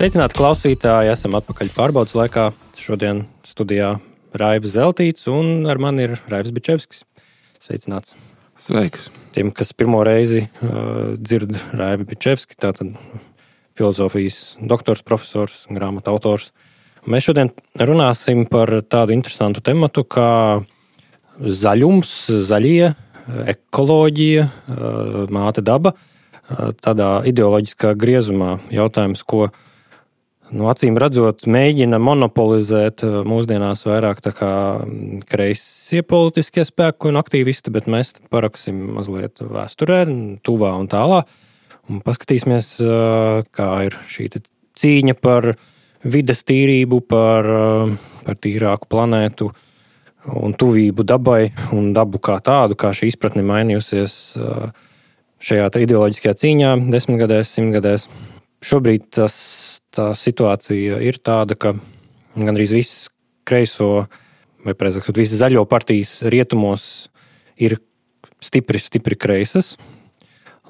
Sveicināti klausītāji, esam atpakaļ pārbaudas laikā. Šodien studijā Raivs Zeltīts un ar mani ir Raivs Bičevskis. Sveicināts. Sveiks. Tiem, kas pirmo reizi dzird Raivi Bičevski, tātad filozofijas doktors, profesors, grāmatu autors. Mēs šodien runāsim par tādu interesantu tematu kā zaļums, zaļie, ekoloģija, māte daba. Tādā ideoloģiskā griezumā jautājums, ko acīm redzot mēģina monopolizēt mūsdienās vairāk tā kā kreisie politiskie spēki un aktīvisti, bet mēs paraksim mazliet vēsturē, tuvā un tālā. Un paskatīsimies, kā ir šī cīņa par vides tīrību, par tīrāku planētu un tuvību dabai un dabu kā tādu, kā šī izpratne mainījusies šajā ideoloģiskajā cīņā 10 gadēs, 100 gadēs. Šobrīd tā situācija ir tāda, ka gandrīz viss kreiso, vai precīzāk sakot, visas zaļo partijas rietumos ir stipri kreisas.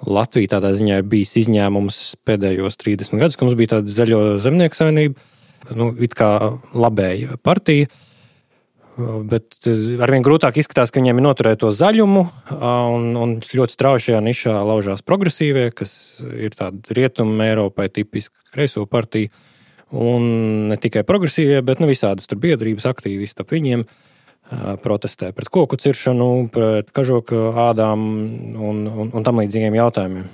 Latvija tādā ziņā ir bijis izņēmums pēdējos 30 gadus, ka mums bija tāda zaļo zemnieku savienība, it kā labēja partija. Bet arvien grūtāk izskatās, ka viņiem ir noturēt to zaļumu, un ļoti strauji šajā nišā laužās progresīvie, kas ir tāda rietuma Eiropai tipiska kreiso partija, un ne tikai progresīvie, bet visādas tur biedrības aktīvisti ap viņiem protestē pret koku ciršanu, pret kažoka ādām un tam līdzīgiem jautājumiem.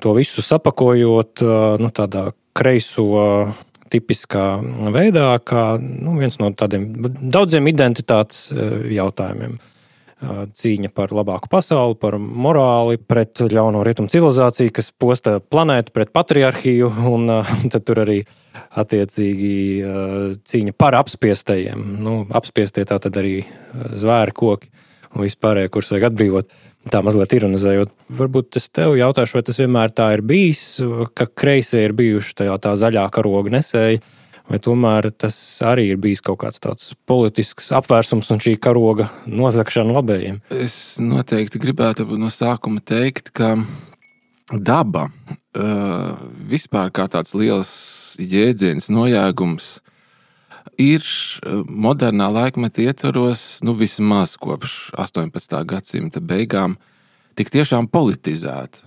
To visu sapakojot tādā kreiso tipiskā veidā, kā viens no tādiem daudziem identitātes jautājumiem. Cīņa par labāku pasauli, par morāli, pret ļauno rietumu civilizāciju, kas posta planētu, pret patriarhiju, un tad tur arī attiecīgi cīņa par apspiestajiem. Apspiestie tā tad arī zvēri, koki un vispārējie, kurus vajag atbrīvot. Tā mazliet ironizējot. Varbūt es tev jautāšu, vai tas vienmēr tā ir bijis, ka kreisie ir bijuši tā zaļā karoga nesēji, vai tomēr tas arī ir bijis kaut kāds tāds politisks apvērsums un šī karoga nozagšana labējiem? Es noteikti gribētu no sākuma teikt, ka daba vispār kā tāds liels jēdziens, nojēgums ir modernā laikmeta ietvaros, vismaz kopš 18. gadsimta beigām, tik tiešām politizēta.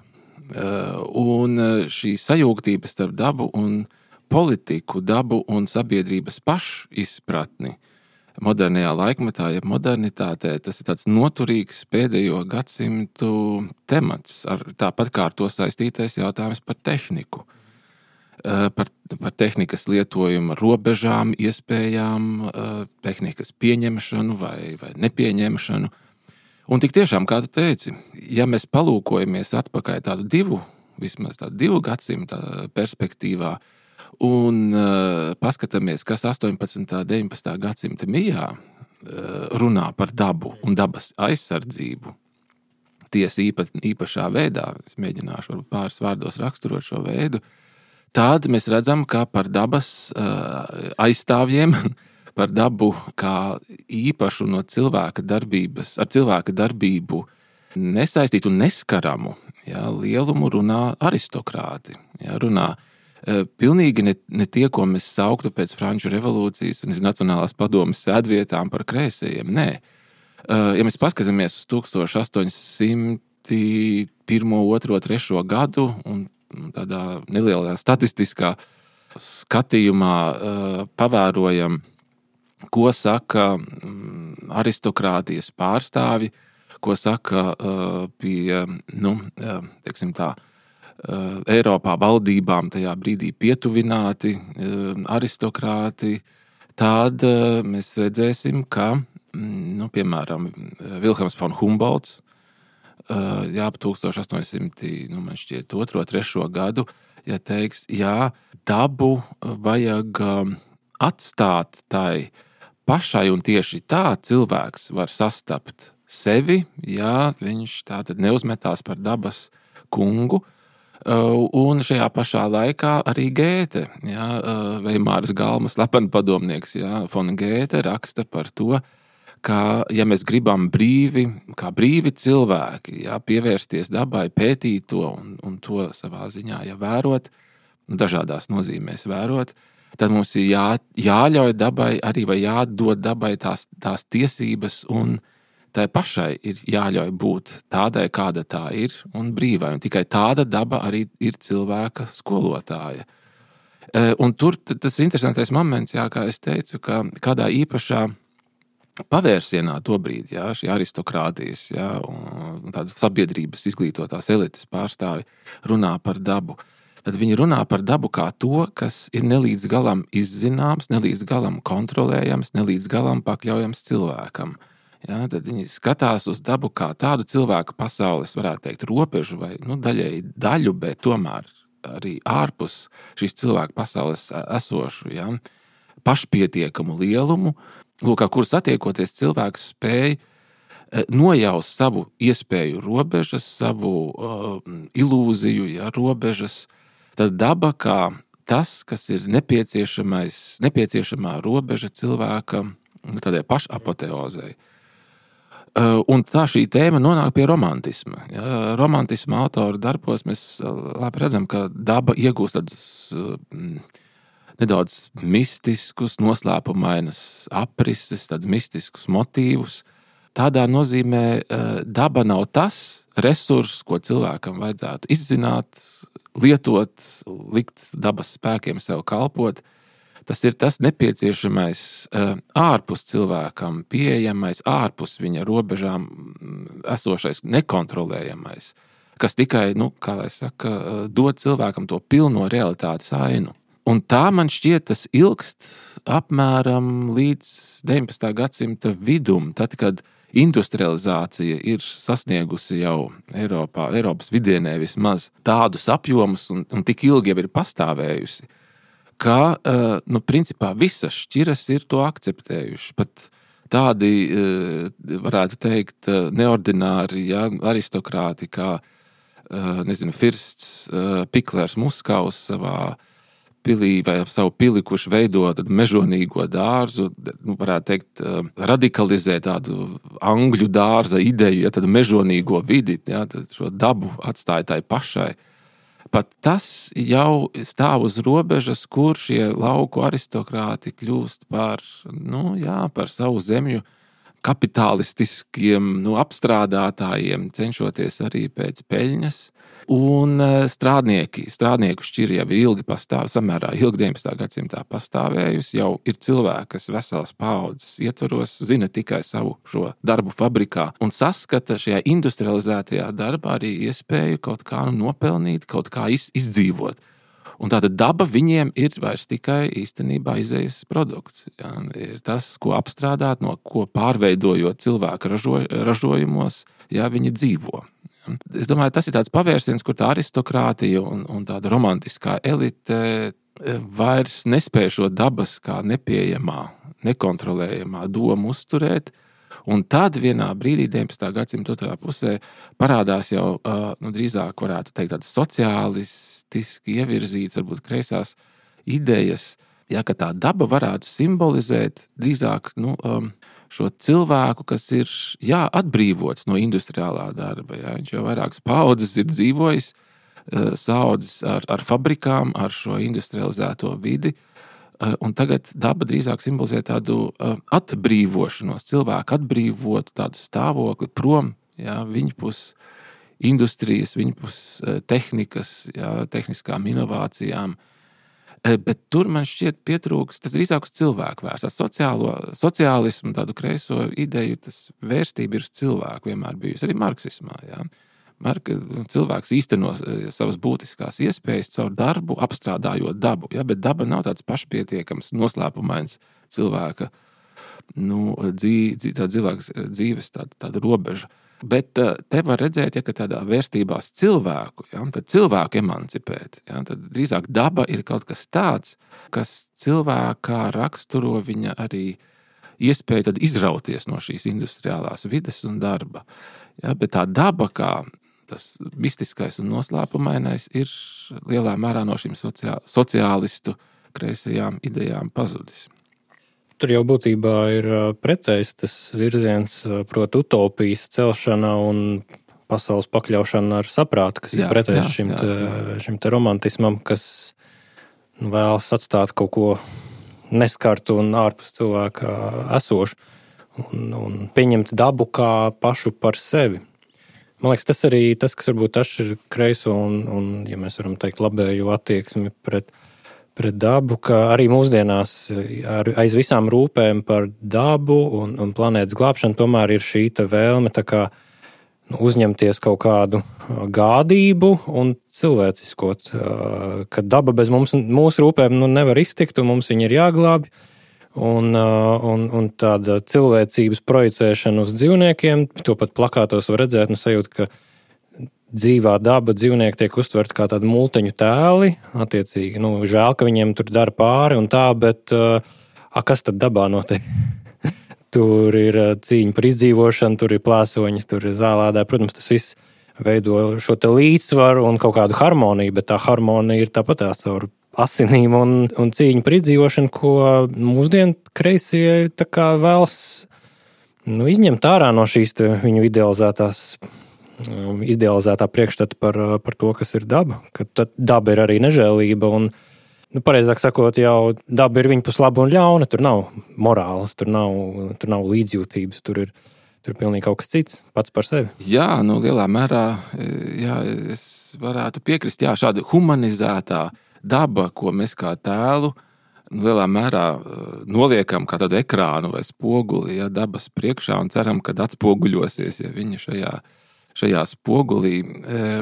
Un šī sajūgtība starp dabu un politiku, dabu un sabiedrības pašizpratni modernajā laikmetā, jeb modernitātē, tas ir tāds noturīgs pēdējo gadsimtu temats, tāpat kā ar to saistītais jautājums par tehniku. Par tehnikas lietojumu robežām, iespējām, tehnikas pieņemšanu vai nepieņemšanu. Un tik tiešām, kā tu teici, ja mēs palūkojamies atpakaļ vismaz tādu 2 gadsimta perspektīvā un paskatāmies, kas 18. un 19. gadsimta mijā runā par dabu un dabas aizsardzību, tiesa īpašā veidā, es mēģināšu varbūt pāris vārdos raksturot šo veidu, tad mēs redzam, ka par dabas aizstāvjiem, par dabu kā īpašu no cilvēka darbības, ar cilvēka darbību nesaistītu un neskaramu lielumu runā aristokrāti. Runā pilnīgi ne tie, ko mēs sauktu pēc Franču revolūcijas un Nacionālās padomes sēdvietām par kreisajiem. Nē. Ja mēs paskatāmies uz 1801, 2, 3 gadu un tādā nelielā statistiskā skatījumā pavērojam, ko saka aristokrātijas pārstāvi, ko saka pie, teiksim tā, Eiropā valdībām tajā brīdī pietuvināti aristokrāti, tad mēs redzēsim, ka, piemēram, Vilhelms von Humboldts, 1802, 3 gadu, teiks, dabu vajag atstāt tai pašai, un tieši tā cilvēks var sastapt sevi, viņš tātad neuzmetās par dabas kungu, un šajā pašā laikā arī Gēte, Veimāras Galmas slepenpadomnieks, von Gēte raksta par to, ka, ja mēs gribam kā brīvi cilvēki, pievērsties dabai, pētīt to un to savā ziņā vērot, dažādās nozīmēs vērot, tad mums ir jāļauj dabai arī vai jādod dabai tās tiesības, un tai pašai ir jāļauj būt tādai, kāda tā ir, un brīvai. Un tikai tāda daba arī ir cilvēka skolotāja. Un tur tas interesantais moments, kā es teicu, ka kādā īpašā pavērsienā tobrīd, šī aristokrātijas, un tāda sabiedrības izglītotās elites pārstāvi runā par dabu. Tad viņi runā par dabu kā to, kas ir nelīdz galam izzināms, nelīdz galam kontrolējams, nelīdz galam pakļaujams cilvēkam. Tad viņi skatās uz dabu kā tādu cilvēku pasaules, varētu teikt, robežu vai daļēji daļu, bet tomēr arī ārpus šīs cilvēku pasaules esošu, pašpietiekamu lielumu, ar kuru satiekoties cilvēks spēja nojaust savu iespēju robežas, savu ilūziju, robežas. Tad daba kā tas, kas ir nepieciešamā robeža cilvēka tādai pašapoteozei. Un tā šī tēma nonāk pie romantisma. Romantisma autora darbos mēs labi redzam, ka daba iegūst tādus nedaudz mistiskus, noslēpumainas aprises, tādus mistiskus motīvus. Tādā nozīmē daba nav tas resurs, ko cilvēkam vajadzētu izzināt, lietot, likt dabas spēkiem sev kalpot. Tas ir tas nepieciešamais ārpus cilvēkam, pieejamais, ārpus viņa robežām esošais, nekontrolējamais, kas tikai, kā lai saka, dod cilvēkam to pilno realitātes ainu. Un tā man šķiet, tas ilgst apmēram līdz 19. gadsimta vidum, tad, kad industrializācija ir sasniegusi jau Eiropas vidienē vismaz tādus apjomus un tik ilgi jau ir pastāvējusi, ka, principā visas šķiras ir to akceptējuši. Pat tādi, varētu teikt, neordināri, aristokrāti, kā, Firsts Piklers Muskaus savā pilī vai savu pili, kurš veido mežonīgo dārzu, varētu teikt, radikalizē tādu angļu dārza ideju, tādu mežonīgo vidi, tad šo dabu atstāja tai pašai. Pat tas jau stāv uz robežas, kur šie lauku aristokrāti kļūst par savu zemju kapitalistiskiem apstrādātājiem, cenšoties arī pēc peļņas. Un strādnieku šķiri jau ilgi pastāv, samērā ilgi 19. gadsimtā pastāvējusi, jau ir cilvēki, kas veselas paaudzes ietvaros, zina tikai savu šo darbu fabrikā un saskata šajā industrializētajā darbā arī iespēju kaut kā nopelnīt, kaut kā izdzīvot. Un tāda daba viņiem ir vairs tikai īstenībā izējas produkts. Ir tas, ko apstrādāt, no ko pārveidojot cilvēku ražojumos, viņi dzīvo. Es domāju, tas ir tāds pavērsiens, kur tā aristokrātija un tāda romantiskā elite vairs nespēj šo dabas kā nepieejamā, nekontrolējamā domu uzturēt. Un tad vienā brīdī, 19. gadsimta otrā pusē, parādās jau drīzāk, varētu teikt, tādas sociālistiski ievirzītas, varbūt kreisās idejas, ka tā daba varētu simbolizēt drīzāk šo cilvēku, kas ir atbrīvots no industriālā darba. Viņš jau vairākas paaudzes ir dzīvojis, saaudzis ar fabrikām, ar šo industrializēto vidi, un tagad daba drīzāk simbolizē tādu atbrīvošanos, cilvēku atbrīvotu tādu stāvokli prom, viņpus industrijas, viņpus tehnikas, tehniskām inovācijām. Bet tur man šķiet pietrūks, tas drīzāk uz cilvēku vērsts. Sociālismu, tādu kreiso ideju, tas vērstība ir uz cilvēku vienmēr bijusi, arī marksismā. Cilvēks īsteno savas būtiskās iespējas caur darbu, apstrādājot dabu. Bet daba nav tāds pašpietiekams, noslēpumains cilvēka dzīves tāda robeža. Bet te var redzēt, ka tādā vērstībās cilvēku, tad cilvēku emancipēt, tad drīzāk daba ir kaut kas tāds, kas cilvēkā raksturo viņa arī iespēju tad izrauties no šīs industriālās vides un darba. Bet tā daba, kā tas mistiskais un noslēpumainais, ir lielā mērā no šīm sociālistu kreisajām idejām pazudis. Tur jau būtībā ir pretējs tas virziens, proti utopijas celšana un pasaules pakļaušana ar saprātu, kas ir pretējs šim te romantismam, kas vēlas atstāt kaut ko neskartu un ārpus cilvēka esošu un pieņemt dabu kā pašu par sevi. Man liekas, tas arī tas, kas varbūt atšķir kreiso un, ja mēs varam teikt, labējo attieksmi pret dabu, ka arī mūsdienās aiz visām rūpēm par dabu un planētas glābšanu tomēr ir šī vēlme tā kā uzņemties kaut kādu gādību un cilvēciskot, ka daba bez mūsu rūpēm nevar iztikt un mums viņa ir jāglābj. Un tāda cilvēcības projicēšana uz dzīvniekiem, to pat plakātos var redzēt, sajūt, ka dzīvā daba dzīvnieki tiek uztverti kā tādi multeņu tēli, attiecīgi, žēl, ka viņiem tur dara pāri un tā, bet kas tad dabā notiek? Tur ir cīņa par izdzīvošanu, tur ir plēsoņas, tur ir zālēdāji. Protams, tas viss veido šo te līdzsvaru un kaut kādu harmoniju, bet tā harmonija ir tāpatās caur asinīm un cīņu par izdzīvošanu, ko mūsdienu kreisie tā kā vēlas izņemt ārā no šīs viņu idealizētā priekšstata par to, kas ir daba. Ka daba ir arī nežēlība un, pareizāk sakot, jau daba ir viņa pus laba un ļauna. Tur nav morāles, tur nav līdzjūtības, tur ir pilnīgi kaut kas cits, pats par sevi. Jā, lielā mērā, jā, es varētu piekrist, jā, šāda humanizētā daba, ko mēs kā tēlu lielā mērā noliekam kā tādu ekrānu vai spoguli, ja, dabas priekšā un ceram, kad atspoguļosies, ja viņa šajā spogulī.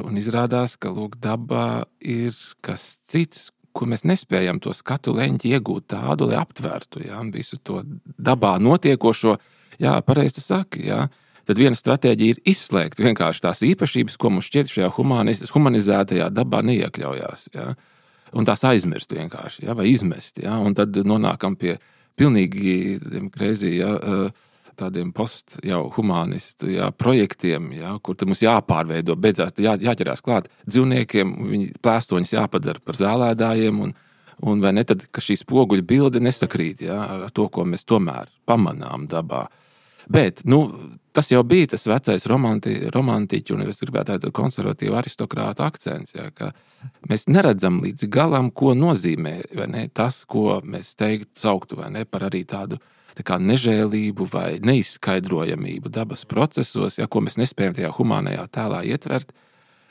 Un izrādās, ka lūk, daba ir kas cits, ko mēs nespējam to skatu leņķi iegūt tādu, lai aptvērtu, ja, visu to dabā notiekošo. Jā, pareizi tu saki, jā. Tad viena stratēģija ir izslēgt vienkārši tās īpašības, ko mums šķiet šajā humanizētajā dabā neiekļaujās, jā. Un tās aizmirst vienkārši, ja, vai izmest. Ja, un tad nonākam pie pilnīgi crazy, ja, tādiem humanistu projektiem, ja, kur tad mums jāpārveido, beidzās jāķerās klāt dzīvniekiem, viņi plēstoņus jāpadara par zālēdājiem, un vai ne tad, ka šī spoguļa bilde nesakrīt, ja, ar to, ko mēs tomēr pamanām dabā. Bet, tas jau bija tas vecais romantiķu, un es gribētu tādu konservatīvu aristokrātu akcents, ja, ka mēs neredzam līdz galam, ko nozīmē, vai ne, tas, ko mēs sauktu, vai ne, par arī tādu tā kā nežēlību vai neizskaidrojamību dabas procesos, ja, ko mēs nespējam tajā humānajā tēlā ietvert.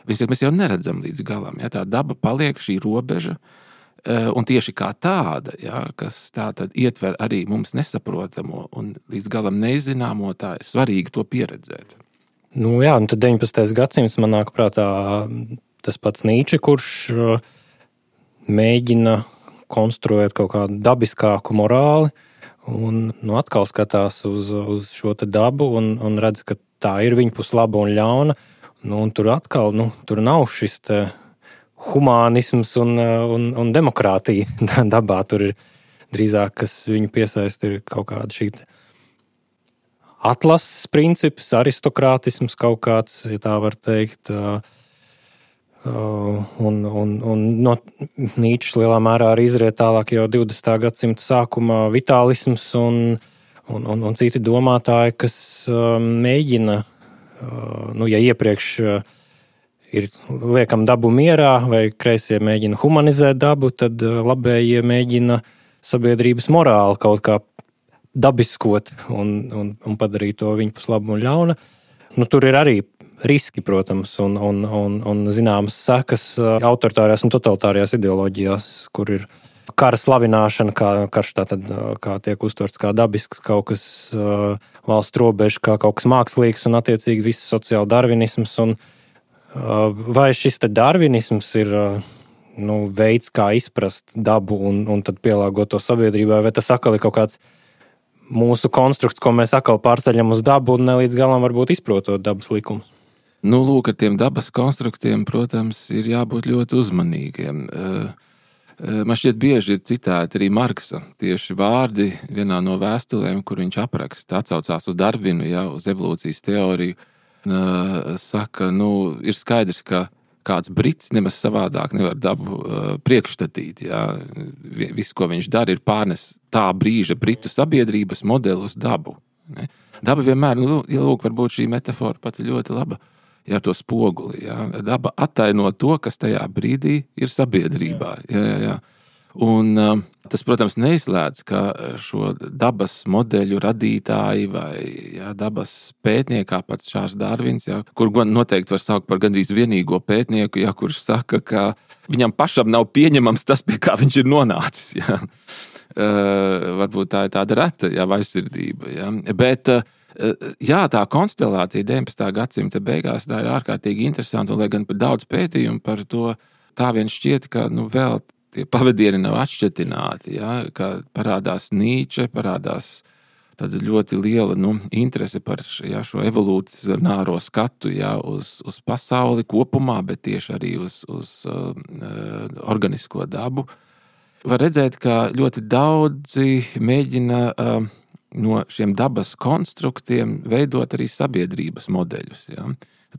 Mēs jau neredzam līdz galam, ja, tā daba paliek šī robeža, un tieši kā tāda, ja, kas tā tad ietver arī mums nesaprotamo un līdz galam nezināmo, tā ir svarīgi to pieredzēt. Jā, un tad 19. gadsimts man nāk prātā tas pats Nīče, kurš mēģina konstruēt kaut kādu dabiskāku morāli un atkal skatās uz šo te dabu un redz, ka tā ir viņa pus laba un ļauna. Un tur atkal, tur nav šis te humānisms un demokrātija dabā. Tur ir drīzāk, kas viņu piesaista, ir kaut kāda šī atlases princips, aristokrātisms kaut kāds, ja tā var teikt. Un no Nīčes lielā mērā arī izriet tālāk jau 20. gadsimta sākumā vitālisms un citi domātāji, kas mēģina, ja iepriekš ir liekam dabu mierā, vai kreisie mēģina humanizēt dabu, tad labējie mēģina sabiedrības morāli kaut kā dabiskot un padarīt to viņu pus labu un ļauna. Tur ir arī riski, protams, un zināmas sekas autoritārajās un totalitārajās ideoloģijās, kur ir kara slavināšana, karš tātad kā tiek uztverts kā dabisks, kaut kas valsts robeža, kā kaut kas mākslīgs un attiecīgi viss sociāla darvinisms. Vai šis te darvinisms ir veids, kā izprast dabu un tad pielāgot to sabiedrībai, vai tas atkal ir kaut kāds mūsu konstrukts, ko mēs atkal pārceļam uz dabu un ne līdz galam varbūt izprotot dabas likumus? Lūk, ar tiem dabas konstruktiem, protams, ir jābūt ļoti uzmanīgiem. Man šķiet bieži ir citēti arī Marksa tieši vārdi vienā no vēstulēm, kur viņš apraksta, atsaucās uz Darvinu, uz evolūcijas teoriju. Saka, ir skaidrs, ka kāds brits nemaz savādāk nevar dabu priekšstatīt. Jā. Viss, ko viņš dara, ir pārnes tā brīža britu sabiedrības modeli uz dabu. Ne? Daba vienmēr, lūk, varbūt šī metafora pat ļoti laba, ja ar to spoguli. Jā. Daba attaino to, kas tajā brīdī ir sabiedrībā. Jā. Un tas, protams, neizslēdz, ka šo dabas modeļu radītāji vai dabas pētnieki, kā pats Čārls Darvins, kur noteikti var saukt par gandrīz vienīgo pētnieku, kurš saka, ka viņam pašam nav pieņemams tas, pie kā viņš ir nonācis. Varbūt tā ir tāda reta vaisirdība. Bet tā konstelācija 19. gadsimta beigās tā ir ārkārtīgi interesanta, un lai gan par daudz pētījumu par to, tā vien šķiet, ka vēl tie pavadieni nav atšķetināti, ka parādās Nīče, parādās tāda ļoti liela interese par šo evolūcionāro skatu uz pasauli kopumā, bet tieši arī uz organisko dabu. Var redzēt, ka ļoti daudzi mēģina no šiem dabas konstruktiem veidot arī sabiedrības modeļus.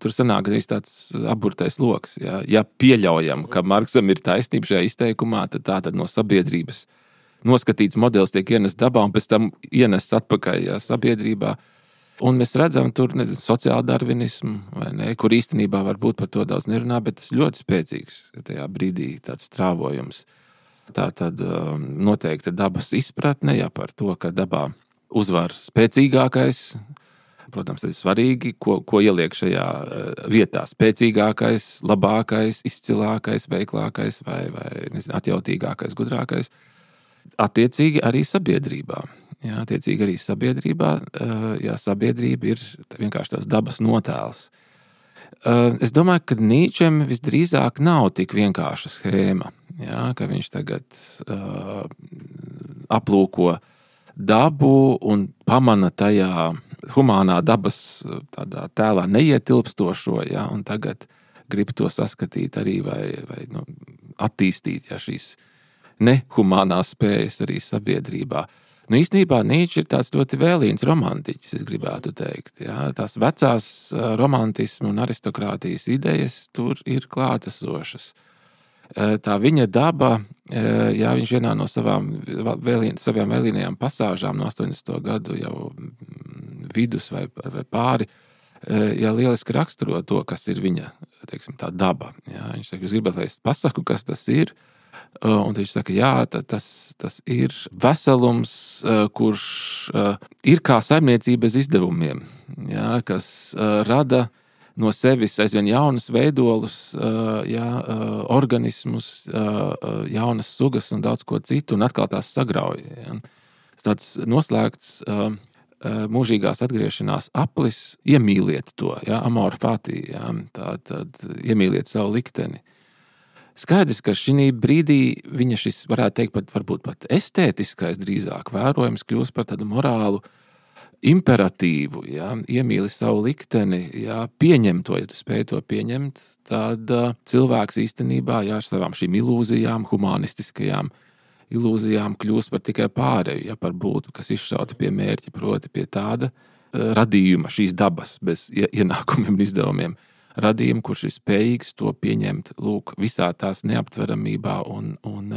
Tur sanāk arī tāds aburtais loks. Ja pieļaujam, ka Marksam ir taisnība šajā izteikumā, tad tātad no sabiedrības noskatīts modelis tiek ienests dabā un pēc tam ienests atpakaļ sabiedrībā. Un mēs redzam tur sociāldarvinismu, vai ne, kur īstenībā varbūt par to daudz nerunā, bet tas ļoti spēcīgs tajā brīdī tāds strāvojums. Tā tad noteikti dabas izpratne par to, ka dabā uzvar spēcīgākais. Protams, tas ir svarīgi, ko ieliek šajā vietā. Spēcīgākais, labākais, izcilākais, veiklākais vai atjautīgākais, gudrākais. Attiecīgi arī sabiedrībā. Sabiedrība ir vienkārši tās dabas notēls. Es domāju, ka Nīčem visdrīzāk nav tik vienkārša schēma, ka viņš tagad aplūko dabu un pamana tajā humānā dabas tādā tēlā neietilpstošo, un tagad grib to saskatīt arī vai attīstīt šīs nehumānās spējas arī sabiedrībā. Īstenībā Nīčs ir tāds ļoti vēlīns romantiķis, es gribētu teikt. Tās vecās romantismu un aristokrātijas idejas tur ir klātesošas. Tā viņa daba, viņš vienā no savām vēlīnajām pasāžām no 80. gadu jau vidus vai pāri, lieliski raksturo to, kas ir viņa, teiksim, tā daba. Viņš saka, jūs gribat, lai es pasaku, kas tas ir? Un viņš saka, tas ir veselums, kurš ir kā saimniecība bez izdevumiem, kas rada no sevis aizvien jaunas veidolus, organismus, jaunas sugas un daudz ko citu, un atkal tās sagrauj. Tāds noslēgts mūžīgās atgriešanās aplis, iemīliet to, amor fati, tad iemīliet savu likteni. Skaidrs, ka šī brīdī viņa šis, varētu teikt, varbūt pat estētiskais drīzāk vērojums kļūst par tādu morālu imperatīvu, iemīli savu likteni, pieņem to, ja tu spēj to pieņemt, tad cilvēks īstenībā ar savām šīm ilūzijām, humanistiskajām ilūzijām kļūst par tikai pārēju, par būtu, kas izšauta pie mērķa, proti pie tāda radījuma, šīs dabas, bez ienākumiem un izdevumiem. Radījumu, kurš ir spējīgs to pieņemt, visā tās neaptveramībā un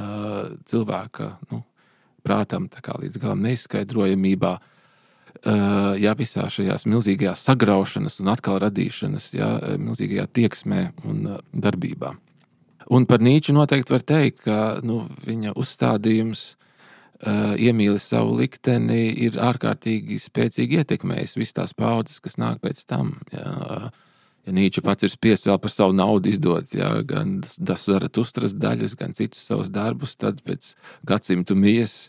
cilvēka, prātam, tā kā līdz galam neizskaidrojamībā, visā šajās milzīgajās sagraušanas un atkal radīšanas, milzīgajā tieksmē un darbībā. Un par Nīču noteikti var teikt, ka viņa uzstādījums iemīli savu likteni ir ārkārtīgi spēcīgi ietekmējis visas tās paudzes, kas nāk pēc tam, Ja Nīča pats ir spiests vēl par savu naudu izdot, gan Zaratustras daļas, gan citus savus darbus, tad pēc gadsimtu mijas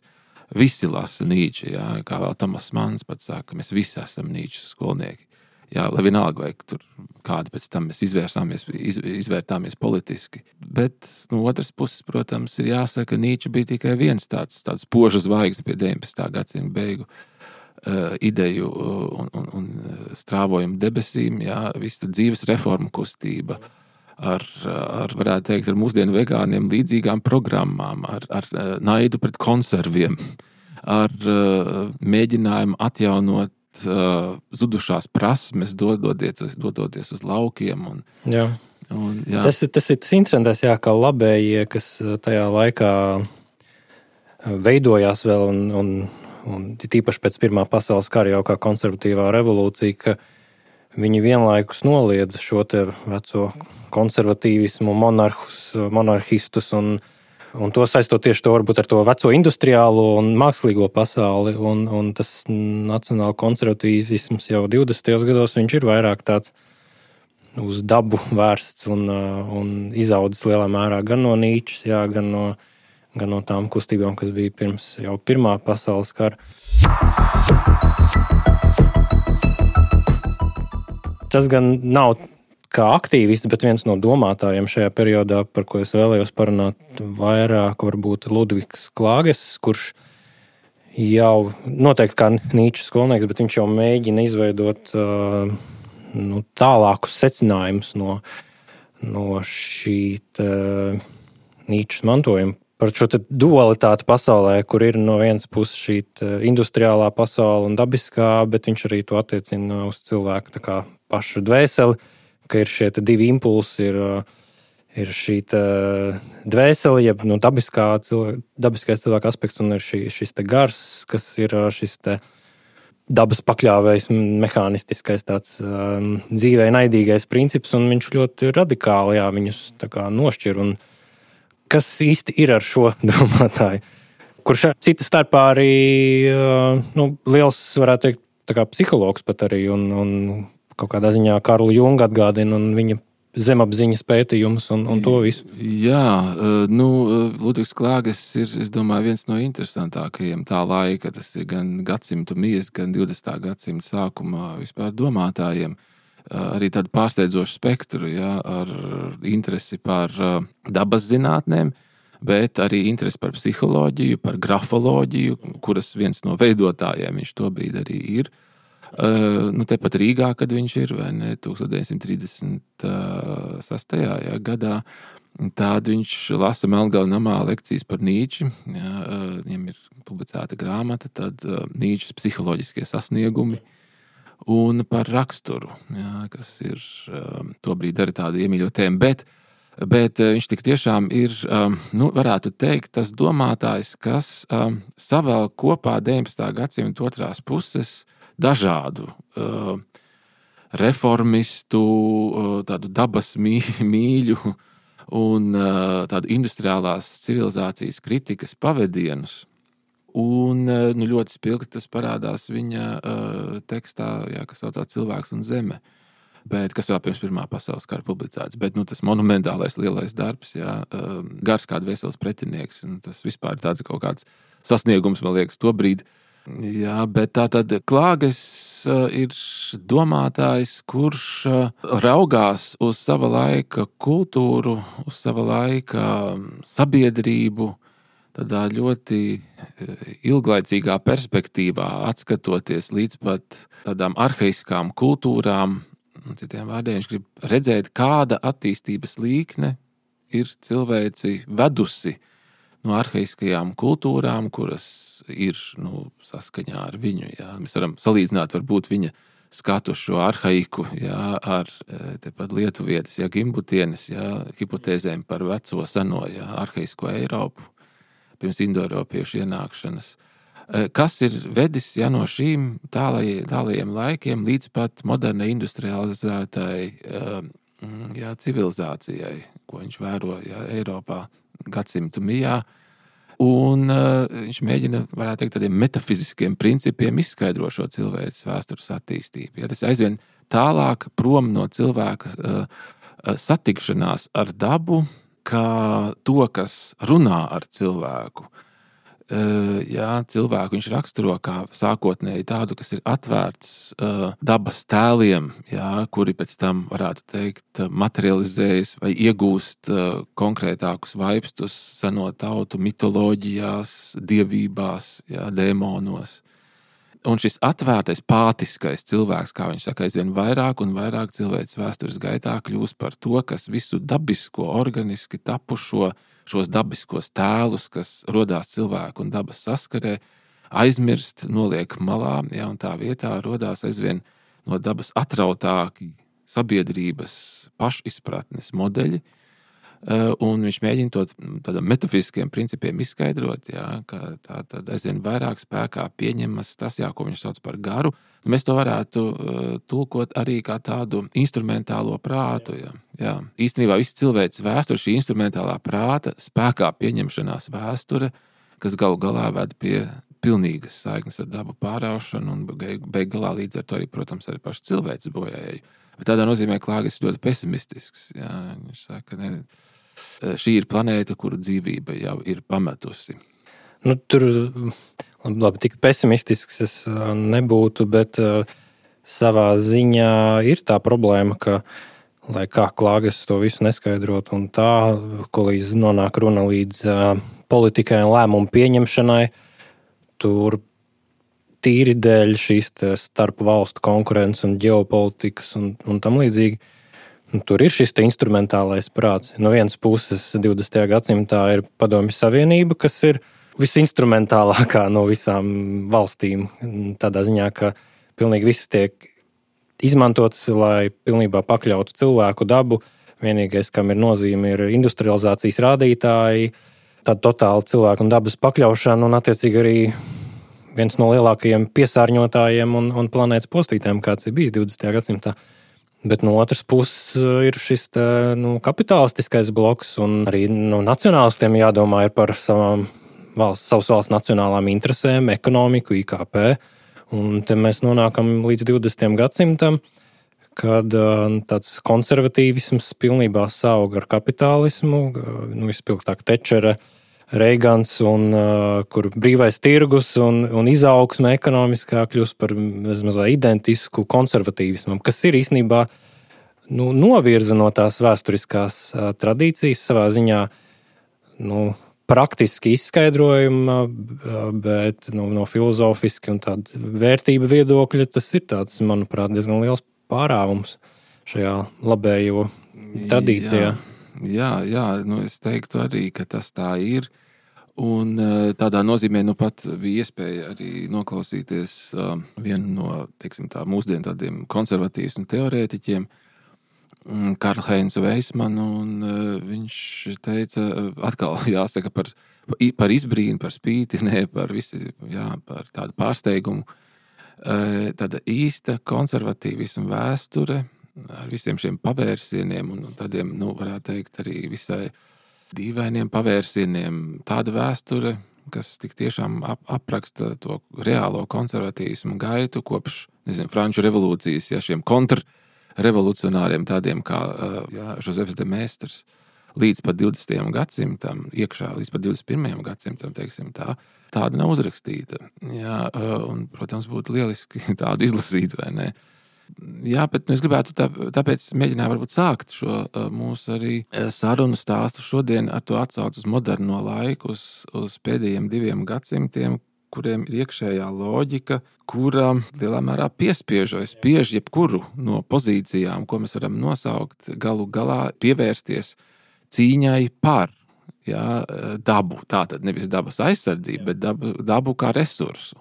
visi lasa Nīča, kā vēl Tomas Manns pats saka, mēs visi esam Nīčas skolnieki. Lai vienalga, vai tur kādi pēc tam mēs izvērtāmies politiski. Bet no otras puses, protams, ir jāsaka, ka Nīča bija tikai viens tāds spoža zvaigzne pie 19. gadsimta beigu ideju un strāvojumu debesīm, visa dzīves reformu kustība ar varētu teikt, ar mūsdienu vegāniem līdzīgām programmām, ar naidu pret konserviem, ar mēģinājumu atjaunot zudušās prasmes, dodoties uz laukiem. Tas ir tas interesantais, kā labējie, kas tajā laikā veidojās vēl un tīpaši pēc Pirmā pasaules kara jau kā konservatīvā revolūcija, ka viņi vienlaikus noliedza šo te veco konservatīvismu, monarhistus un Un to saistot tieši to varbūt ar to veco industriālo un mākslīgo pasauli, un tas nacionāla konservatīvisms jau 20. gados viņš ir vairāk tāds uz dabu vērsts un izaudzis lielā mērā gan no Nīčes, jā, gan no tām kustībām, kas bija pirms jau Pirmā pasaules kara. Tas gan nav kā aktīvists, bet viens no domātājiem šajā periodā, par ko es vēlējos parunāt vairāk, varbūt Ludvigs Klāges, kurš jau noteikti kā Nīčes skolnieks, bet viņš jau mēģina izveidot tālākus secinājumus no šī Nīčes mantojuma. Par šo dualitāti pasaulē, kur ir no vienas puses šī industriālā pasaule un dabiskā, bet viņš arī to attiecina uz cilvēku tā kā pašu dvēseli, ka ir šie divi impulsi, ir šī dvēsele, jeb dabiskais cilvēka aspekts, un ir šis gars, kas ir šis dabas pakļāvējs, mehānistiskais tāds dzīvē naidīgais princips, un viņš ļoti radikāli viņus tā kā nošķir. Un kas īsti ir ar šo domātāju, kurš cita starpā arī liels, varētu teikt, tā kā psihologs pat arī, un kaut kādā ziņā Karlu Jungu atgādina un viņa zemapziņas pētījumus un to visu. Jā, Ludvigs Klāges ir, es domāju, viens no interesantākajiem tā laika, tas ir gan gadsimtu mies, gan 20. gadsimta sākumā vispār domātājiem. Arī tādu pārsteidzošu spektru, ar interesi par dabas zinātnēm, bet arī interesi par psiholoģiju, par grafoloģiju, kuras viens no veidotājiem viņš tobrīd arī ir. Tepat Rīgā, kad viņš ir, vai ne, 1936. Gadā, tad viņš lasa Melngala namā lekcijas par Nīči. Viņam ir publicēta grāmata, tad Nīčes psiholoģiskie sasniegumi un par raksturu, kas ir tobrīd arī tāda iemīļota tēma. Bet viņš tik tiešām ir, varētu teikt, tas domātājs, kas savēl kopā 19. gadsimta otrās puses dažādu reformistu, tādu dabas mīļu un tādu industriālās civilizācijas kritikas pavedienus. Un ļoti spilgti tas parādās viņa tekstā, kas saucās Cilvēks un zeme, bet kas vēl pirms Pirmā pasaules kara publicēts. Bet tas monumentālais lielais darbs, gars kā dvēseles pretinieks, un tas vispār ir tāds kaut kāds sasniegums, man liekas, tobrīd. Jā, bet tātad Klāges ir domātājs, kurš raugās uz sava laika kultūru, uz sava laika sabiedrību, tādā ļoti ilglaicīgā perspektīvā, atskatoties līdz pat tādām arhaiskām kultūrām. Citiem vārdiem viņš grib redzēt, kāda attīstības līkne ir cilvēci vedusi no arhaiskajām kultūrām, kuras ir saskaņā ar viņu. Mēs varam salīdzināt varbūt viņa skatu šo arhaiku ar tepat lietuvietes, Gimbutienes, hipotēzēm par veco seno arhaisko Eiropu pirms indoeiropiešu ienākšanas, kas ir vedis no šīm tālajiem laikiem līdz pat modernai industrializētai civilizācijai, ko viņš vēro Eiropā gadsimtu mijā. Un viņš mēģina, varētu teikt, tādiem metafiziskiem principiem izskaidrot šo cilvēces vēstures attīstību. Tas aizvien tālāk prom no cilvēka satikšanās ar dabu, kā to, kas runā ar cilvēku. Cilvēku viņš raksturo kā sākotnēji tādu, kas ir atvērts dabas tēliem, kuri pēc tam, varētu teikt, materializējas vai iegūst konkrētākus vaipstus seno tautu mitoloģijās, dievībās, dēmonos. Un šis atvērtais, pātiskais cilvēks, kā viņš saka, aizvien vairāk un vairāk cilvēces vēstures gaitā kļūst par to, kas visu dabisko, organiski tapušo, šos dabiskos tēlus, kas rodās cilvēku un dabas saskarē, aizmirst, noliek malā, un tā vietā rodās aizvien no dabas atrautāki sabiedrības pašizpratnes modeļi, un viņš mēģina to tādiem metafiziskiem principiem izskaidrot, jā, ka tā tad aizvien vairāk spēkā pieņemas tas, jā, ko viņš sauc par garu. Mēs to varētu tulkot arī kā tādu instrumentālo prātu. Jā. Īstenībā viss cilvēks vēsture, šī instrumentālā prāta spēkā pieņemšanās vēsture, kas galu galā ved pie pilnīgas saiknes ar dabu pāraušanu un beig galā līdz ar to arī, protams, arī paši cilvēks bojājēju. Bet tādā nozīmē Klāgas ļoti pesimistisks. Jā. Viņš saka, ne, šī ir planēta, kuru dzīvība jau ir pametusi. Tur labi, tik pesimistisks es nebūtu, bet savā ziņā ir tā problēma, ka, lai kā Klāgas to visu neskaidrot, un tā, ko līdz nonāk runa līdz politikai un lēmumu pieņemšanai, tur tīri dēļ šīs starp valstu konkurences un ģeopolitikas un tam līdzīgi. Tur ir šis instrumentālais prāts. No vienas puses 20. gadsimtā ir Padomju Savienība, kas ir visinstrumentālākā no visām valstīm. Tādā ziņā, ka pilnīgi viss tiek izmantots, lai pilnībā pakļautu cilvēku dabu. Vienīgais, kam ir nozīme, ir industrializācijas rādītāji, tāda totāla cilvēku un dabas pakļaušana un attiecīgi arī viens no lielākajiem piesārņotājiem un planētas postītājiem, kāds ir bijis 20. gadsimtā. Bet no otras puses ir šis kapitalistiskais bloks, un arī nacionālistiem jādomā ir par savas valsts nacionālām interesēm, ekonomiku, IKP. Un te mēs nonākam līdz 20. gadsimtam, kad tāds konservatīvisms pilnībā sauga ar kapitālismu, vispilgtāk Tečere, Reigans, un kur brīvais tirgus un izaugsme ekonomiskā kļūst par mazliet identisku konservatīvismam, kas ir īstenībā novirza no tās vēsturiskās tradīcijas savā ziņā praktiski izskaidrojuma, bet no filozofiski un tāda vērtība viedokļa tas ir tāds, manuprāt, diezgan liels pārāvums šajā labējo tradīcijā. Jā, es teiktu arī, ka tas tā ir. Un tādā nozīmē pat bija iespēja arī noklausīties vienu no, teiksim tā, mūsdienu tādiem konservatīviem teorētiķiem, Karl-Heinzu Weismanu, un viņš teica, atkal jāsaka par izbrīnu, par spīti, ne par visi, par tādu pārsteigumu, tāda īsta konservatīvisma vēsture ar visiem šiem pavērsieniem un tādiem, varētu teikt, arī visai dīvainiem pavērsieniem. Tāda vēsture, kas tik tiešām apraksta to reālo konservatīvismu gaitu kopš, Franču revolūcijas, šiem kontrrevolucionāriem tādiem kā Josefs de Maistres līdz pat 20. gadsimtam, iekšā līdz pat 21. gadsimtam, teiksim tā, tāda nav uzrakstīta. Un, protams, būtu lieliski tādu izlasīt, vai ne? Jā, bet es gribētu tāpēc mēģināju varbūt sākt šo mūsu arī sarunu stāstu šodien ar to atsaucu uz moderno laiku, uz pēdējiem 2 gadsimtiem, kuriem ir iekšējā loģika, kura lielā mērā spiež jebkuru no pozīcijām, ko mēs varam nosaukt, galu galā pievērsties cīņai par dabu. Tātad nevis dabas aizsardzību, bet dabu kā resursu.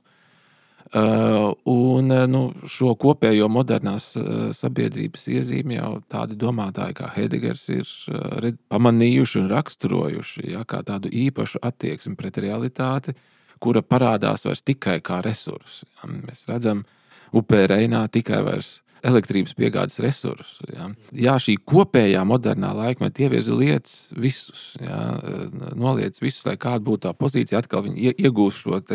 Un šo kopējo modernās sabiedrības iezīmi jau tādi domātāji kā Heidegers ir pamanījuši un raksturojuši, kā tādu īpašu attieksmi pret realitāti, kura parādās vairs tikai kā resursi. Mēs redzam upē Reinā tikai vairs elektrības piegādes resursu. Šī kopējā modernā laikmeta ievirza lietas visus, noliec visus, lai kāda būtu tā pozīcija, atkal viņi iegūst šo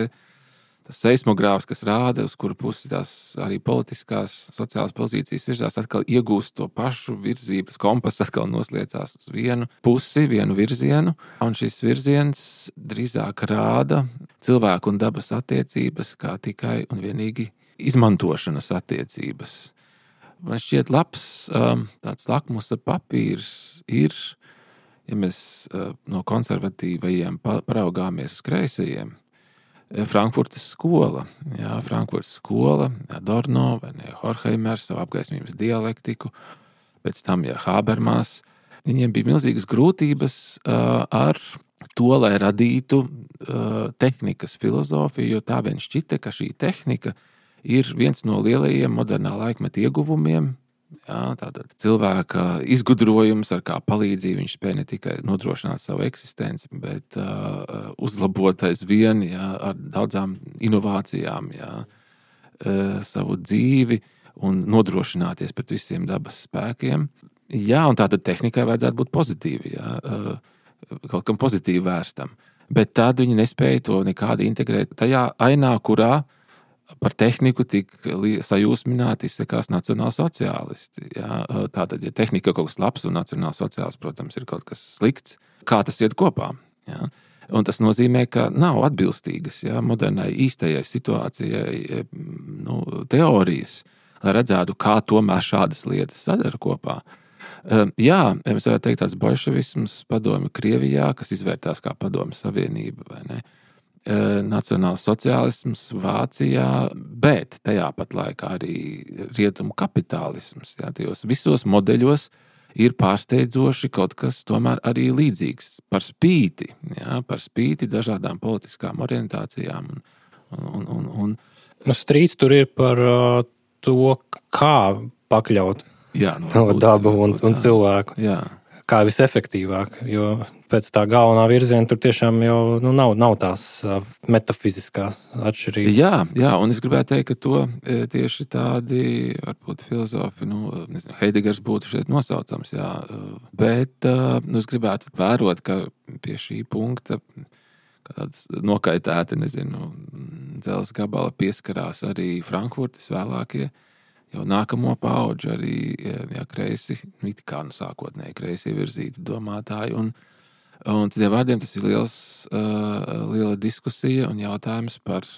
tas seismogrāfs, kas rāda, uz kuru pusi tās arī politiskās, sociālās pozīcijas virzās, atkal iegūst to pašu virzību, tas kompass atkal nosliecās uz vienu pusi, vienu virzienu, un šis virziens drīzāk rāda cilvēku un dabas attiecības kā tikai un vienīgi izmantošanas attiecības. Man šķiet labs tāds lakmusa papīrs ir, ja mēs no konservatīvajiem paraugāmies uz kreisajiem, Frankfurtas skola, Adorno vai Horkheimers, savu apgaismības dialektiku, pēc tam Habermas. Viņiem bija milzīgas grūtības ar to, lai radītu tehnikas filozofiju, jo tā vien šķita, ka šī tehnika ir viens no lielajiem modernā laikmeta ieguvumiem, Jā, tātad cilvēka izgudrojums, ar kā palīdzību viņš spēja ne tikai nodrošināt savu eksistenci, bet uzlabot aizvien, ar daudzām inovācijām, savu dzīvi un nodrošināties pret visiem dabas spēkiem. Jā, un tātad tehnikai vajadzētu būt pozitīvi, kaut kam pozitīvi vērstam. Bet tad viņi nespēja to nekādi integrēt tajā ainā, kurā par tehniku tik sajūsmināti izsakās nacionālsociālisti. Tātad, ja tehnika ir kaut kas labs un nacionālsociāls, protams, ir kaut kas slikts, kā tas iet kopā? Jā? Un tas nozīmē, ka nav atbilstīgas modernai īstajai situācijai teorijas, lai redzētu, kā tomēr šādas lietas sadara kopā. Jā, mēs varētu teikt tāds bolševisms padomi Krievijā, kas izvērtās kā padomi Savienība, vai ne? Nacionāls sociālisms Vācijā, bet tajā pat laikā arī rietumu kapitālisms. Tajos visos modeļos ir pārsteidzoši kaut kas tomēr arī līdzīgs par spīti dažādām politiskām orientācijām. Strīds tur ir par to, kā pakļaut dabu un cilvēku. Jā. Kā visefektīvāk, jo pēc tā galvenā virziena tur tiešām jau nav tās metafiziskās atšķirības. Jā, un es gribētu teikt, ka to tieši tādi, varbūt filozofi, Heidegers būtu šeit nosaucams, bet es gribētu vērot, ka pie šī punkta kāds nokaitēti, dzelzs gabala pieskarās arī Frankfurtas vēlākie, jau nākamo paudžu arī kreisi, it kā sākotnēji kreisi virzīti domātāji. Un citiem vārdiem tas ir liela diskusija un jautājums par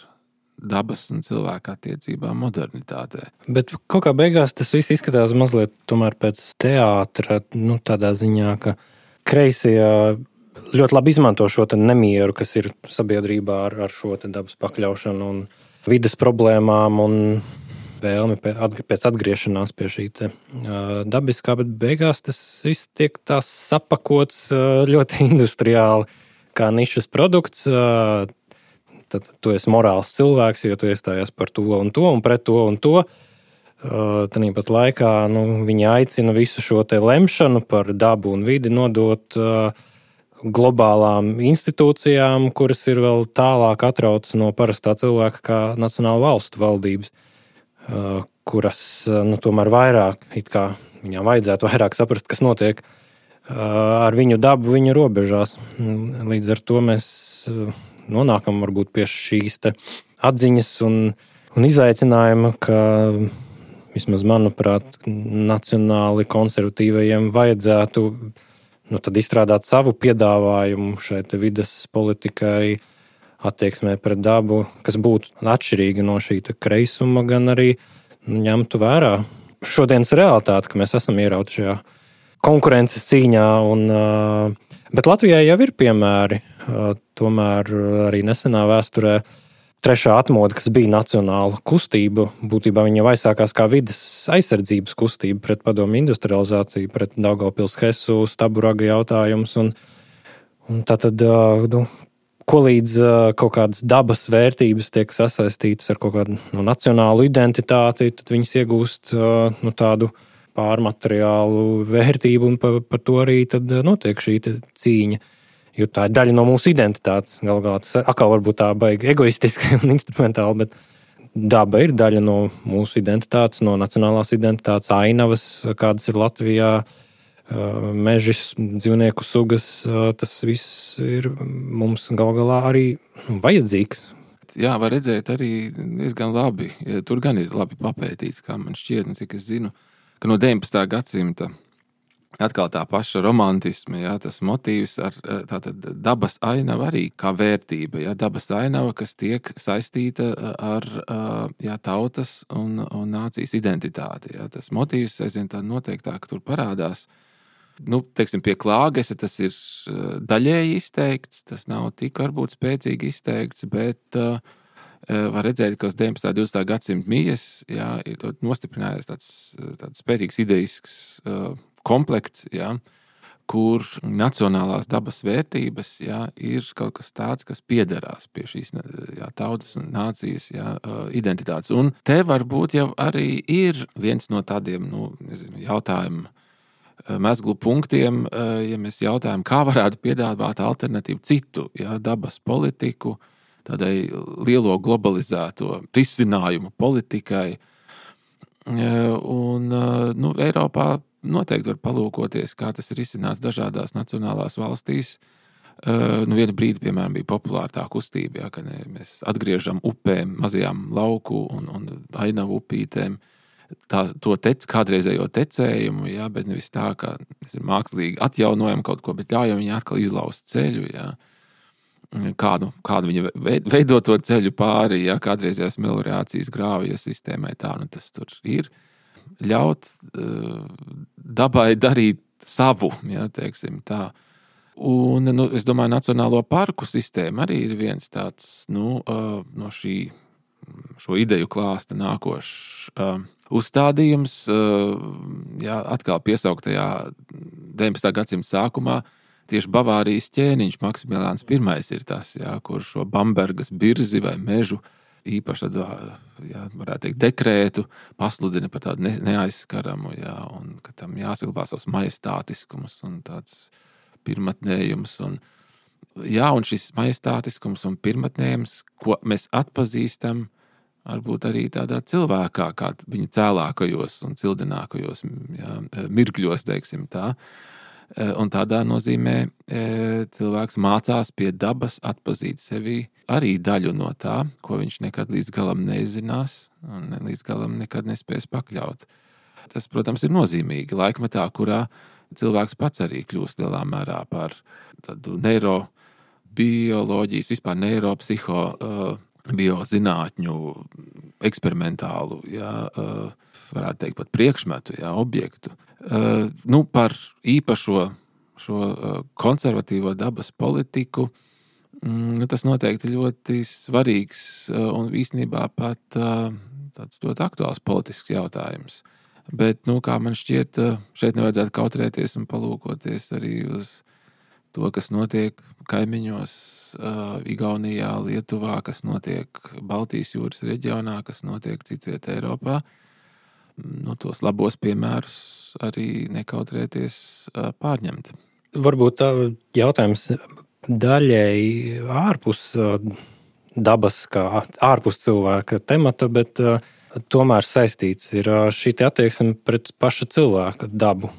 dabas un cilvēka attiecībām modernitātē. Bet kaut kā beigās tas viss izskatās mazliet tomēr pēc teātra, tādā ziņā, ka kreisie ļoti labi izmanto šo nemieru, kas ir sabiedrībā ar šo dabas pakļaušanu un vides problēmām un vēlmi pēc atgriešanās pie šī dabiskā, bet beigās tas viss tiek tās sapakots ļoti industriāli, kā nišas produkts. Tad tu esi morāls cilvēks, jo tu iestājies par to un pret to un to. Tāpat laikā viņi aicina visu šo lemšanu par dabu un vidi nodot globālām institūcijām, kuras ir vēl tālāk atrautas no parastā cilvēka kā nacionāla valstu valdības, kuras tomēr vairāk, it kā viņām vajadzētu vairāk saprast, kas notiek ar viņu dabu, viņu robežās. Līdz ar to mēs nonākam varbūt pie šīs atziņas un izaicinājuma, ka vismaz manuprāt, nacionāli konservatīvajiem vajadzētu tad izstrādāt savu piedāvājumu šai vides politikai, attieksmē pret dabu, kas būtu atšķirīga no šī kreisuma, gan arī ņemtu vērā šodienas realitāti, ka mēs esam ierauti šajā konkurences cīņā. Bet Latvijai jau ir piemēri, tomēr arī nesenā vēsturē trešā atmoda, kas bija nacionāla kustība, būtībā viņa jau aizsākās kā vides aizsardzības kustība pret padomu industrializāciju, pret Daugavpils Hesu, Staburaga jautājums. Un tātad, ko līdz kaut kādas dabas vērtības tiek sasaistītas ar kaut kādu nacionālu identitāti, tad viņas iegūst tādu pārmateriālu vērtību, un par to arī tad notiek šī cīņa. Jo tā ir daļa no mūsu identitātes. Galvā tas atkal varbūt tā baigi egoistiski un instrumentāli, bet daba ir daļa no mūsu identitātes, no nacionālās identitātes, ainavas, kādas ir Latvijā, mežas, dzīvnieku sugas. Tas viss ir mums galvā arī vajadzīgs. Jā, var redzēt arī diezgan labi. Tur gan ir labi papētīts, kā man šķiet, un cik es zinu, ka no 19. gadsimta atkal tā paša romantisma, tas motīvs ar tātad dabas ainava arī kā vērtība, dabas ainava, kas tiek saistīta ar tautas un nācijas identitāti. Tas motīvs aizvien tā noteiktāk tur parādās. Teiksim, pie Klāgesa tas ir daļēji izteikts, tas nav tik varbūt spēcīgi izteikts, bet var redzēt, ka uz 19. un 20. gadsimta mijas ir nostiprinājies tāds spēcīgs ideisks komplekts, kur nacionālās dabas vērtības ir kaut kas tāds, kas piederās pie šīs tautas un nācijas identitātes. Un te varbūt jau arī ir viens no tādiem jautājumu mezglu punktiem, ja mēs jautājam, kā varētu piedāvāt alternatīvu citu dabas politiku, tādai lielo globalizēto risinājumu politikai. Un Eiropā noteikti var palūkoties, kā tas ir izcināts dažādās nacionālās valstīs. Vienu brīdi, piemēram, bija populāra tā kustība, ka mēs atgriežam upēm, mazajām lauku un ainavu upītēm to kādreizējo tecējumu, bet nevis tā, ka mēs mākslīgi atjaunojam kaut ko, bet ļaujam viņai atkal izlaust ceļu, kādu viņa veido to ceļu pāri, kādreizējās meliorācijas grāvja sistēmai tā, tas tur ir. Ļaut dabai darīt savu, teiksim tā. Un, es domāju, Nacionālo parku sistēma arī ir viens tāds, no šo ideju klāsta nākošs uzstādījums, atkal piesauktajā 19. gadsimta sākumā. Tieši Bavārijas ķēniņš Maksimiliāns I ir tas, kur šo Bambergas birzi vai mežu īpaši varētu teikt, dekrētu pasludina par tādu neaizskaramu, un ka tam jāsaglabā savs majestātiskums un tāds pirmatnējums. Un šis majestātiskums un pirmatnējums, ko mēs atpazīstam, varbūt arī tādā cilvēkā, kā viņa cēlākajos un cildinākajos mirkļos, teiksim tā. Un tādā nozīmē cilvēks mācās pie dabas atpazīt sevi arī daļu no tā, ko viņš nekad līdz galam nezinās un līdz galam nekad nespēs pakļaut. Tas, protams, ir nozīmīgi laikmetā, kurā cilvēks pats arī kļūst lielā mērā par tādu neirobioloģijas, vispār neiropsihobiozzinātņu eksperimentālu, varētu teikt pat priekšmetu, objektu. Par īpašo šo konservatīvo dabas politiku, tas noteikti ļoti svarīgs un īstenībā pat tāds ļoti aktuāls politisks jautājums. Bet, kā man šķiet, šeit nevajadzētu kautrēties un palūkoties arī uz to, kas notiek kaimiņos, Igaunijā, Lietuvā, kas notiek Baltijas jūras reģionā, kas notiek citviet Eiropā. Tos labos piemērus arī nekautrēties pārņemt. Varbūt jautājums daļēji ārpus dabas, kā ārpus cilvēka temata, bet tomēr saistīts ir šī attieksme pret paša cilvēka dabu.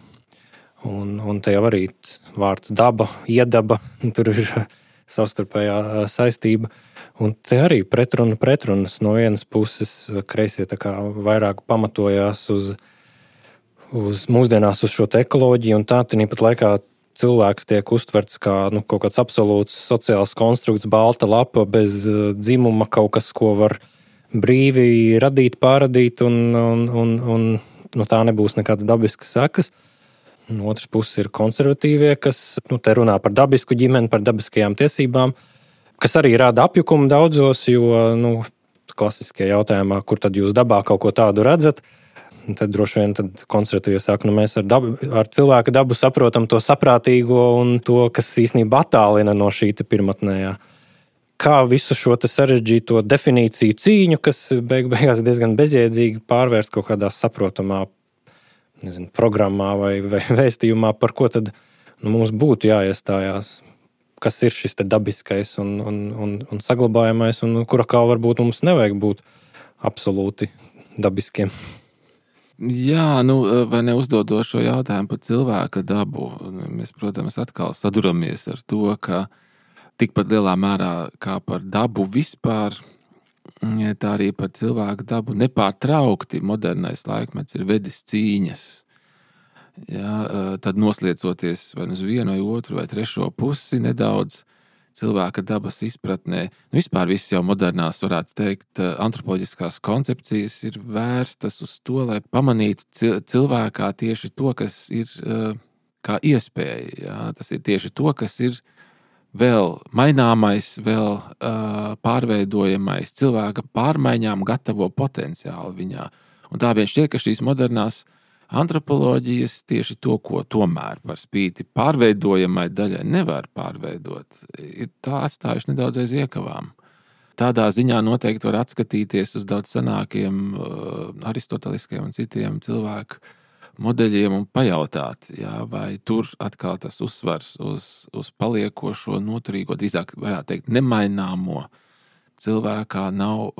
Un te jau arī vārds daba, iedaba, tur ir savstarpējā saistība. Un te arī pretrunas no vienas puses kreisie tā kā vairāk pamatojās uz mūsdienās uz šo ekoloģiju, un tāpat laikā cilvēks tiek uztverts kā kaut kāds absolūts sociāls konstrukts, balta lapa bez dzimuma, kaut kas, ko var brīvi radīt, pārradīt, un tā nebūs nekādas dabiskas sekas. No otras puses ir konservatīvie, kas te runā par dabisku ģimeni, par dabiskajām tiesībām, kas arī rada apjukumu daudzos, jo klasiskajā jautājumā, kur tad jūs dabā kaut ko tādu redzat, tad droši vien konservatīvie saka, mēs ar cilvēka dabu saprotam to saprātīgo un to, kas īstenībā attālina no šī pirmatnējā. Kā visu šo sarežģīto definīciju cīņu, kas beigās diezgan bezjēdzīgi pārvērst kaut kādā saprotamā programmā vai vēstījumā, par ko tad mums būtu jāiestājās. Kas ir šis dabiskais un saglabājamais, un kura kā varbūt mums nevajag būt absolūti dabiskiem. Jā, vai neuzdodot šo jautājumu par cilvēka dabu, mēs, protams, atkal saduramies ar to, ka tikpat lielā mērā kā par dabu vispār, tā arī par cilvēku dabu nepārtraukti modernais laikmets ir vedis cīņas. Tad nosliecoties vai uz vienu vai otru vai trešo pusi nedaudz cilvēka dabas izpratnē. Vispār viss jau modernās, varētu teikt, antropoloģiskās koncepcijas ir vērstas uz to, lai pamanītu cilvēkā tieši to, kas ir kā iespēja. Tas ir tieši to, kas ir vēl maināmais, vēl pārveidojamais, cilvēka pārmaiņām gatavo potenciālu viņā. Un tā vien šķiet, ka šīs modernās antropoloģijas tieši to, ko tomēr par spīti pārveidojamai daļai nevar pārveidot, ir tā atstājuši nedaudz aiz iekavām. Tādā ziņā noteikti var atskatīties uz daudz senākiem aristoteliskiem un citiem cilvēku modeļiem un pajautāt, vai tur atkal tas uzsvars uz paliekošo, noturīgo, drīzāk varētu teikt, nemaināmo cilvēkā nav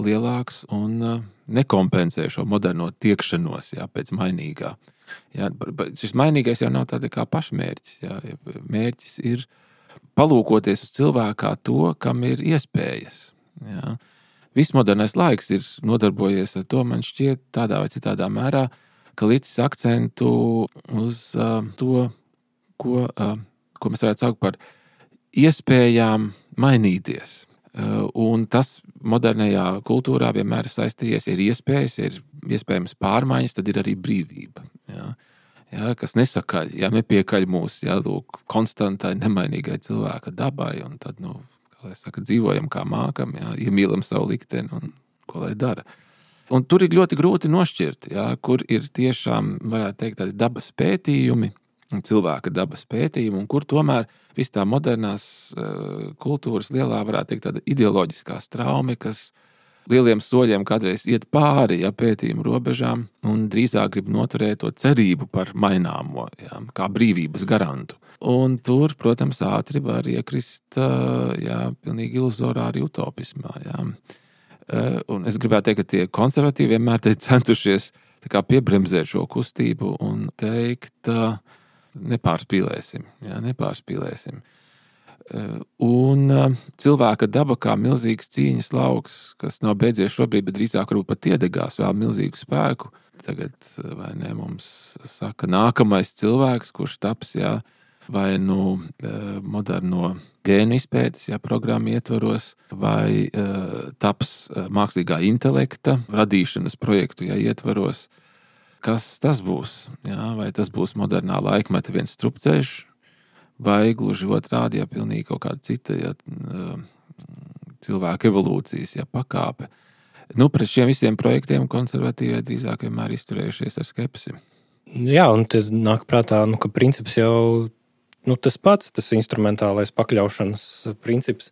lielāks un nekompensē šo moderno tiekšanos pēc mainīgā. Šis mainīgais jau nav tāda kā pašmērķis. Mērķis ir palūkoties uz cilvēkā to, kam ir iespējas. Viss modernais laiks ir nodarbojies ar to, man šķiet, tādā vai citādā mērā, ka licis akcentu uz to, ko mēs varētu saukt par iespējām mainīties. Un tas modernajā kultūrā vienmēr ir saistījies, ir iespējas, ir iespējams pārmaiņas, tad ir arī brīvība. Kas nesakaļ, nepiekaļ mūsu konstantai, nemainīgai cilvēka dabai, un tad, kā lai saka, dzīvojam kā mākam, iemīlam savu likteni un ko lai dara. Un tur ir ļoti grūti nošķirt, kur ir tiešām, varētu teikt, tādi dabas pētījumi, cilvēka dabas pētījumi, un kur tomēr viss tā modernās kultūras lielā, varētu teikt, tāda ideoloģiskā straume, kas lieliem soļiem kādreiz iet pāri pētījumu robežām un drīzāk grib noturēt to cerību par maināmo, kā brīvības garantu. Un tur, protams, ātri var iekrist pilnīgi iluzorā arī utopismā. Un es gribētu teikt, ka tie konservatīvi vienmēr centušies piebremzēt šo kustību un teikt, nepārspīlēsim. Un cilvēka daba kā milzīgs cīņas lauks, kas nav beidzies šobrīd, bet drīzāk varbūt pat iedegās vēl milzīgu spēku. Tagad, vai ne, mums saka nākamais cilvēks, kurš taps, vai moderno gēnu izpētes, programmu ietvaros, vai taps mākslīgā intelekta radīšanas projektu, ietvaros. Kas tas būs? Vai tas būs modernā laikmeta viens strupceļš, vai gluži otrādi, pilnīgi kaut kāda cita cilvēka evolūcijas pakāpe. Pret šiem visiem projektiem konservatīvie drīzāk vienmēr izturējušies ar skepsi. Jā, un te nāk prātā, ka princips jau tas pats, tas instrumentālais pakļaušanas princips.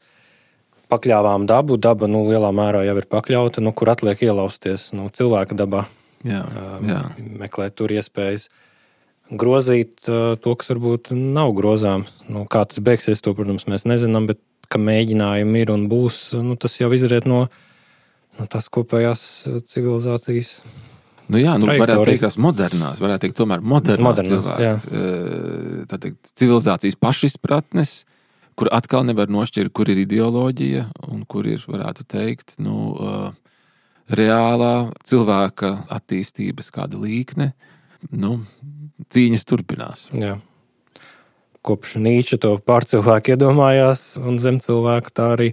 Pakļāvām dabu, daba lielā mērā jau ir pakļauta, kur atliek ielausties cilvēka dabā. Jā. Meklēt tur iespējas grozīt to, kas varbūt nav grozāms. Kā tas beigsies, to, protams, mēs nezinām, bet ka mēģinājumi ir un būs, tas jau izriet no tās kopējās civilizācijas. Varētu teikt tās modernās, varētu teikt tomēr modernās cilvēks. Tātad civilizācijas pašizpratnes, kur atkal nevar nošķirt, kur ir ideoloģija un kur ir, varētu teikt, reālā cilvēka attīstības kāda līkne, cīņas turpinās. Jā. Kopš Nīča to pārcilvēku iedomājās un zem cilvēku, tā arī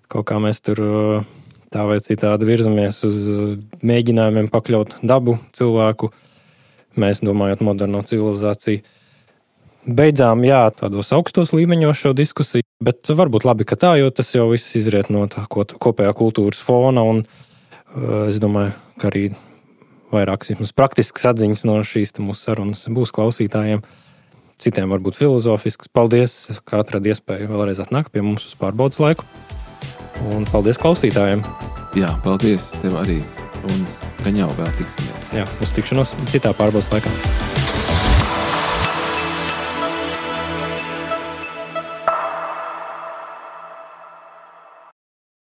kaut kā mēs tur tā vai citādi virzamies uz mēģinājumiem pakļaut dabu cilvēku. Mēs domājot moderno civilizāciju. Beidzām, tādos augstos līmeņos šo diskusiju, bet varbūt labi, ka tā, jo tas jau viss izriet no tā kopējā kultūras fona un es domāju, ka arī vairākas praktiskas atziņas no šīs mūsu sarunas būs klausītājiem. Citiem varbūt filozofiskas. Paldies, ka atradi iespēju vēlreiz atnākt pie mums uz pārbaudas laiku. Un paldies klausītājiem. Jā, paldies tev arī. Un gan jau vēl tiksimies. Jā, uz tikšanos citā pārbaudas laikā.